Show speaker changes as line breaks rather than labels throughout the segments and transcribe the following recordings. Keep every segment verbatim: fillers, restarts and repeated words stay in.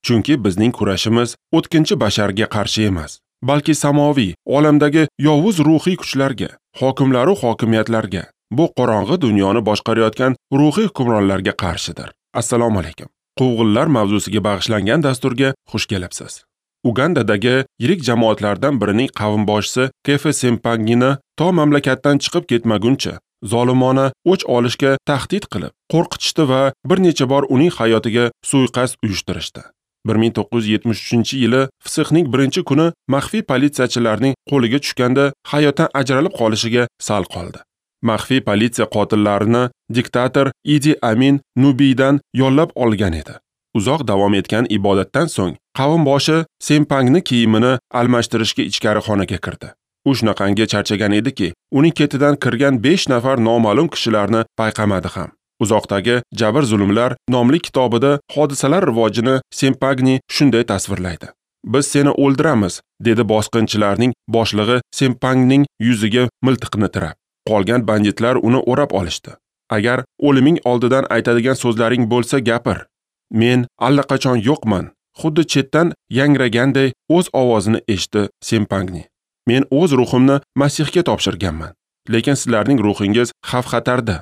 Chunki bizning kurashimiz o'tkinchi basharga qarshi emas, balki samoviy olamdagi yovuz ruhiy kuchlarga, hokimlar va hokimiyatlarga, bu qorong'i dunyoni boshqarayotgan ruhiy hukmronlarga qarshidir. Assalomu alaykum. Quvg'inlar mavzusiga bag'ishlangan dasturga xush kelibsiz. Ugandadagi yirik jamoatlardan birining qavmboshisi Kefe Sempangini to mamlakatdan chiqib ketmaguncha zolimona o'ch olishga tahdid qilib, qo'rqitishdi va bir necha bor uning hayotiga suiqasd uyushtirishdi. bir ming to'qqiz yuz yetmish uchinchi yili Fisixning birinchi kuni maxfiy politsiyachilarning qo'liga tushganda hayotdan ajralib qolishiga sal qoldi. Maxfiy politsiya qotillarini diktator Idi Amin Nubiydan yollab olgan edi. Uzoq davom etgan ibodatdan so'ng qavmboshi Sempangni kiyimini almashtirishga ichkari xonaga kirdi. U shunaqangi charchagan ediki, uning ketidan kirgan besh nafar noma'lum kishilarni payqamadi ham. Uzoqdagi jabr zulmlar nomli kitobida hodisalar rivojini Sempagni shunday tasvirlaydi. Biz seni o'ldiramiz, dedi bosqinchilarning boshlig'i Sempangning yuziga miltiqni tirab. Qolgan banditlar uni o'rab olishdi. Agar o'liming oldidan aytadigan so'zlaring bo'lsa gapir. Men allaqachon yo'qman, xuddi chetdan yangraganday o'z ovozini eshitdi Sempagni. Men o'z ruhimni Masihga topshirganman, lekin sizlarning ruhingiz xavf-xatarda.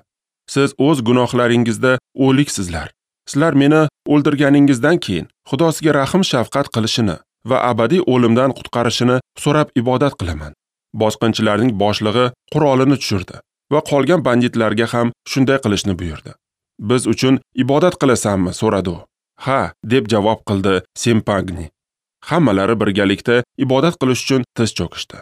Siz o'z gunohlaringizda o'liksizlar. Sizlar meni o'ldirganingizdan keyin Xudo sizga rahim shafqat qilishini va abadiy o'limdan qutqarishini so'rab ibodat qilaman. Bosqinchilarning boshlig'i qurolini tushirdi va qolgan banditlarga ham shunday qilishni buyurdi. Biz uchun ibodat qilasanmi? So'radi u. Ha, deb javob qildi Sempagni. Hammalari birgalikda ibodat qilish uchun tiz cho'kishdi.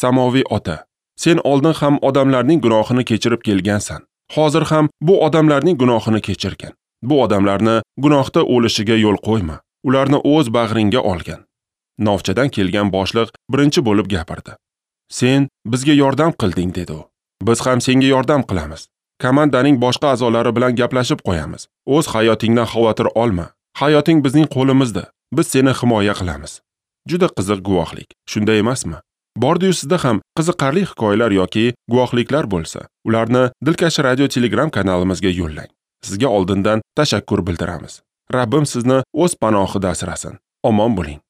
Samoviy ota, sen oldin ham odamlarning gunohini kechirib kelgansan. Hozir ham bu odamlarning gunohini kechirgin. Bu odamlarni gunohda o'lishiga yo'l qo'yma. Ularni o'z bag'ringga olgin. Novchadan kelgan boshliq birinchi bo'lib gapirdi. Sen bizga yordam qilding, dedi u. Biz ham senga yordam qilamiz. Komandaning boshqa a'zolari bilan gaplashib qo'yamiz. O'z hayotingdan xavotir olma. Hayoting bizning qo'limizda. Biz seni himoya qilamiz. Juda qiziq guvohlik, shunday emasmi? Bordi-yu sizda ham qiziqarli hikoyalar yoki guvohliklar bo'lsa, ularni Dilkash Radio Telegram kanalimizga yo'llang. Sizga oldindan tashakkur bildiramiz. Rabbim sizni o'z panohida asrasin. Omon bo'ling.